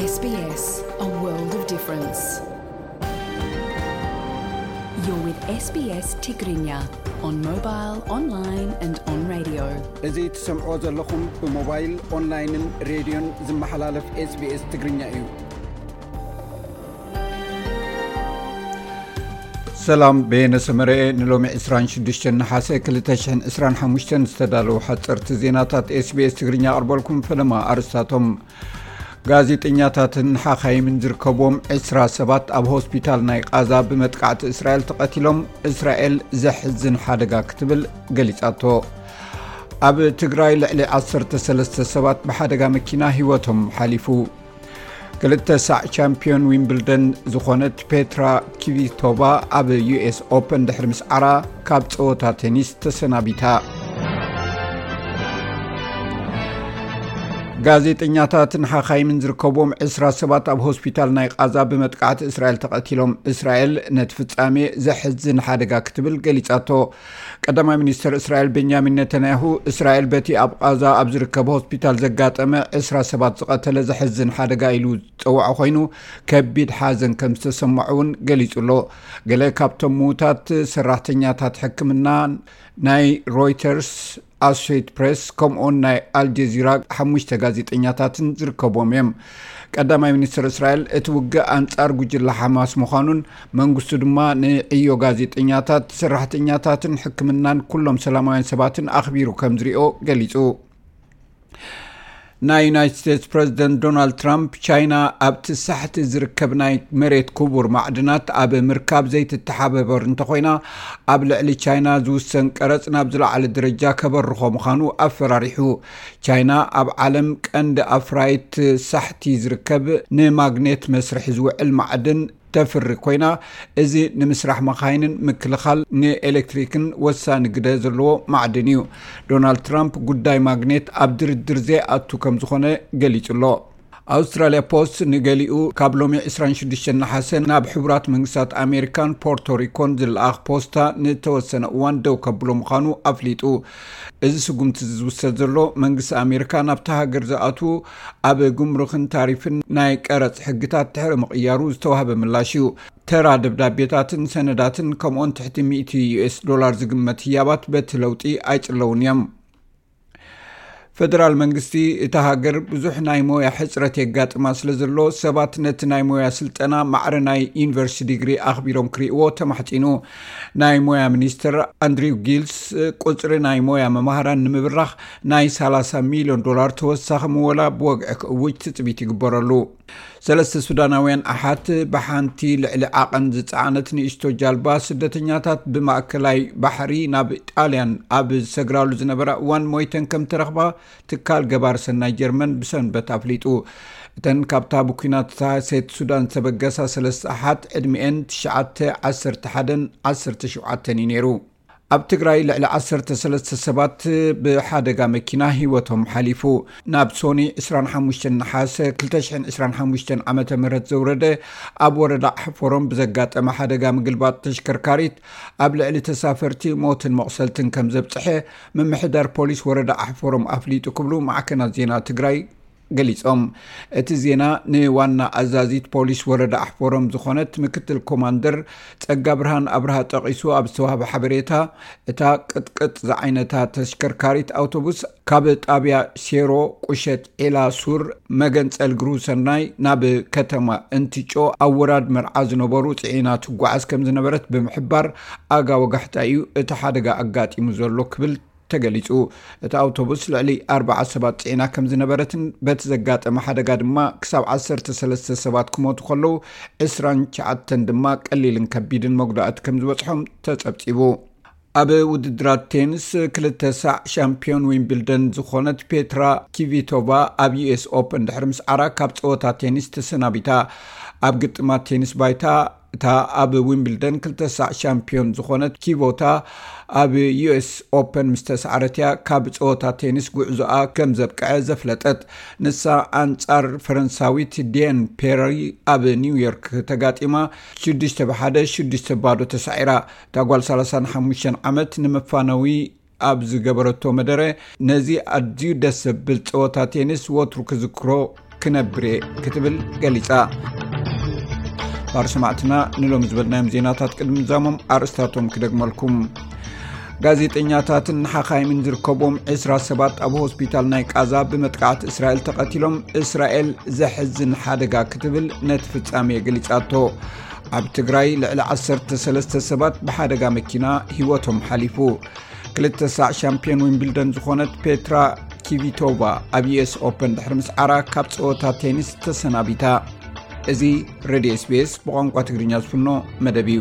S B S, a world of difference. You're with S B S Tigrinya on mobile, online and on radio. እዚ ትሰምዕዎ ዘለኹም ብሞባይል፣ ኦንላይንን ሬድዮን ዝመሓላለፍ SBS ትግርኛ እዩ። ሰላም፣ በየነ ሰመረኤ። ንሎሚ ዕስራን ሽዱሽተን ነሓሰ ክልተ ሽሕን ዕስራን ሓሙሽተን ዝተዳለዉ ሓፀርቲ ዜናታት SBS ትግርኛ ኣቕርበልኩም። ፈለማ ኣርስታቶም። ጋዜጠኛታትን ሓኻይምን ዝርከብዎም ዕስራ ሰባት ኣብ ሆስፒታል ናይ ቃዛ ብመጥቃዕቲ እስራኤል ተቐቲሎም፣ እስራኤል ዘሕዝን ሓደጋ ክትብል ገሊጻቶ። ኣብ ትግራይ ልዕሊ ዓሰርተ ሰለስተ ሰባት ብሓደጋ መኪና ህይወቶም ሓሊፉ። ክልተ ሳዕ ቻምፒዮን ዊምብልደን ዝኾነት ፔትራ ኪቪቶቫ ኣብ ዩ ኤስ ኦፐን ድሕሪ ምስዓራ ካብ ጸወታ ቴኒስ ተሰናቢታ። ጋዜጠኛታትን ሓኻይምን ዝርከብዎም ዕስራ ሰባት ኣብ ሆስፒታል ናይ ቃዛ ብመጥቃዕቲ እስራኤል ተቐቲሎም። እስራኤል ነቲ ፍጻሜ ዘሕዝን ሓደጋ ክትብል ገሊጻቶ። ቀዳማይ ሚኒስትር እስራኤል ቤንያሚን ነተንያሁ፣ እስራኤል በቲ ኣብ ቃዛ ኣብ ዝርከብ ሆስፒታል ዘጋጠመ ዕስራ ሰባት ዝቐተለ ዘሕዝን ሓደጋ ኢሉ ዝጸውዖ ኮይኑ፣ ከቢድ ሓዘን ከም ዝተሰምዖ እውን ገሊጹ ኣሎ። ገለ ካብቶም ምዉታት ሰራሕተኛታት ሕክምና፣ ናይ ሮይተርስ፣ ኣሶሴት ፕሬስ ከምኡውን ናይ ኣልጀዚራ ሓሙሽተ ጋዜጠኛታትን ዝርከብዎም እዮም። ቀዳማይ ሚኒስትር እስራኤል እቲ ውግእ ኣንጻር ጉጅለ ሓማስ ምዃኑን መንግስቱ ድማ ንዕዮ ጋዜጠኛታት፣ ሰራሕተኛታትን ሕክምናን ኩሎም ሰላማውያን ሰባትን ኣኽቢሩ ከም ዝሪኦ ገሊጹ። ናይ ዩናይትድ ስቴትስ ፕሬዚደንት ዶናልድ ትራምፕ፣ ቻይና ኣብቲ ሳሕቲ ዝርከብ ናይ መሬት ክቡር ማዕድናት ኣብ ምርካብ ዘይትተሓባበር እንተኾይና፣ ኣብ ልዕሊ ቻይና ዝውሰን ቀረጽ ናብ ዝለዓለ ደረጃ ከበርኾ ምዃኑ ኣፈራሪሑ። ቻይና ኣብ ዓለም ቀንዲ ኣፍራይት ሳሕቲ ዝርከብ ንማግኔት መስርሒ ዝውዕል ማዕድን ተፍሪ ኮይና፣ እዚ ንምስራሕ መኻይንን ምክልኻል ንኤሌክትሪክን ወሳኒ ግደ ዘለዎ ማዕድን እዩ። ዶናልድ ትራምፕ ጉዳይ ማግኔት ኣብ ድርድር ዘይኣቱ ከም ዝኾነ ገሊጹ ኣሎ። ኣውስትራልያ ፖስት ንገሊኡ ካብ ሎሚ ዕስራን ሽዱሽተን ነሓሰ ናብ ሕቡራት መንግስታት ኣሜሪካን ፖርቶሪኮን ዝለኣኽ ፖስታ ንተወሰነ እዋን ደው ከብሎ ምዃኑ ኣፍሊጡ። እዚ ስጉምቲ እዚ ዝውሰድ ዘሎ መንግስቲ ኣሜሪካ ናብታ ሃገር ዝኣትዉ ኣብ ጉምሩክን ታሪፍን ናይ ቀረጽ ሕግታት ድሕሪ ምቕያሩ ዝተዋህበ ምላሽ እዩ። ተራ ደብዳቤታትን ሰነዳትን ከምኡውን ትሕቲ ሚእቲ ዩ ኤስ ዶላር ዝግመት ህያባት በቲ ለውጢ ኣይጽለውን እዮም። ፈደራል መንግስቲ እታ ሃገር ብዙሕ ናይ ሞያ ሕጽረት የጋጥማ ስለ ዘሎ፣ ሰባት ነቲ ናይ ሞያ ስልጠና ማዕረ ናይ ዩኒቨርሲቲ ዲግሪ ኣኽቢሮም ክርእይዎ ተማሕጺኑ። ናይ ሞያ ሚኒስትር ኣንድሪው ጊልስ፣ ቁጽሪ ናይ ሞያ መማህራን ንምብራኽ ናይ ሰላሳ ሚልዮን ዶላር ተወሳኺ ምወላ ብወግዒ ክእውጅ ትጽቢት ይግበረሉ። ሰለስተ ሱዳናውያን ኣሓት ብሓንቲ ልዕሊ ዓቐን ዝጸዓነት ንእሽቶ ጃልባ ስደተኛታት ብማእከላይ ባሕሪ ናብ ጣልያን ኣብ ዝሰግራሉ ዝነበራ እዋን ሞይተን ከም ተረኽባ ትካል ገባር ሰናይ ጀርመን ብሰንበት ኣፍሊጡ። እተን ካብታ ብኲናት እታ ሴት ሱዳን ዝተበገሳ ሰለስተ ኣሓት ዕድሚኤን ትሽዓተ፣ ዓሰርተ ሓደን ዓሰርተ ሸውዓተን እዩ ነይሩ። ኣብ ትግራይ ልዕሊ ዓሰርተ ሰለስተ ሰባት ብሓደጋ መኪና ህይወቶም ሓሊፉ። ናብ ሶኒ ዕስራን ሓሙሽተን ነሓሰ ክልተ ሽሕን ዕስራን ሓሙሽተን ዓመተ ምህረት ዘውረደ ኣብ ወረዳ ሓፎሮም ብዘጋጠመ ሓደጋ ምግልባጥ ተሽከርካሪት ኣብ ልዕሊ ተሳፈርቲ ሞትን መቑሰልትን ከም ዘብጽሐ ምምሕዳር ፖሊስ ወረዳ ሓፎሮም ኣፍሊጡ ክብሉ ማዕከናት ዜና ትግራይ ገሊጾም። እቲ ዜና ንዋና ኣዛዚት ፖሊስ ወረዳ ኣሕፎሮም ዝኾነት ምክትል ኮማንደር ጸጋብርሃን ኣብርሃ ጠቒሱ ኣብ ዝተዋህበ ሓበሬታ፣ እታ ቅጥቅጥ ዝዓይነታ ተሽከርካሪት ኣውቶቡስ ካብ ጣብያ ሴሮ ቁሸት ዒላ ሱር መገንጸል ግሩ ሰናይ ናብ ከተማ እንትጮ ኣብ ወራድ መርዓ ዝነበሩ ጽዒና ትጓዓዝ ከም ዝነበረት ብምሕባር፣ ኣጋ ወጋሕታ እዩ እቲ ሓደጋ ኣጋጢሙ ዘሎ ክብል ተገሊጹ። እታ ኣውቶቡስ ልዕሊ ኣርባዓ ሰባት ጽዒና ከም ዝነበረትን በቲ ዘጋጠመ ሓደጋ ድማ ክሳብ ዓሰርተ ሰለስተ ሰባት ክሞቱ ከለዉ፣ ዕስራን ትሽዓተን ድማ ቀሊልን ከቢድን መጉዳእቲ ከም ዝበጽሖም ተጸብጺቡ። ኣብ ውድድራት ቴኒስ ክልተ ሳዕ ሻምፒዮን ዊምብልደን ዝኾነት ፔትራ ኪቪቶቫ ኣብ ዩ ኤስ ኦፐን ድሕሪ ምስዓራ ካብ ጸወታ ቴኒስ ተሰናቢታ። ኣብ ግጥማት ቴኒስ ባይታ እታ ኣብ ዊምብልደን ክልተ ሳዕ ሻምፒዮን ዝኾነት ኪቮታ ኣብ ዩ ኤስ ኦፐን ምስ ተሰዓረት እያ ካብ ጸወታ ቴኒስ ጉዕዞኣ ከም ዘብቅዐ ዘፍለጠት። ንሳ ኣንጻር ፈረንሳዊት ዲየን ፔሪ ኣብ ኒውዮርክ ተጋጢማ ሽዱሽተ ብሓደ፣ ሽዱሽተ ባዶ ተሳዒራ። እታ ጓል ሰላሳን ሓሙሽተን ዓመት ንመፋነዊ ኣብ ዝገበረቶ መደረ፣ ነዚ ኣዝዩ ደስ ዘብል ጸወታ ቴኒስ ወትሩ ክዝክሮ ክነብር እየ ክትብል ገሊጻ። ባር ሰማዕትና ንሎም ዝበልናዮም ዜናታት ቅድሚ ምዛሞም ኣርእስታቶም ክደግመልኩም። ጋዜጠኛታትን ሓኻይምን ዝርከብዎም ዕስራ ሰባት ኣብ ሆስፒታል ናይ ቃዛ ብመጥቃዕቲ እስራኤል ተቐቲሎም፣ እስራኤል ዘሕዝን ሓደጋ ክትብል ነቲ ፍጻሜ ገሊጻቶ። ኣብ ትግራይ ልዕሊ ዓሰርተ ሰለስተ ሰባት ብሓደጋ መኪና ህይወቶም ሓሊፉ። ክልተ ሳዕ ሻምፒዮን ዊምብልደን ዝኾነት ፔትራ ኪቪቶቫ ኣብ ዩኤስ ኦፐን ድሕሪ ምስዓራ ካብ ጸወታ ቴኒስ ተሰናቢታ። እዚ ሬድዮ ኤስቢኤስ ብቋንቋ ትግርኛ ዝፍኖ መደብ እዩ።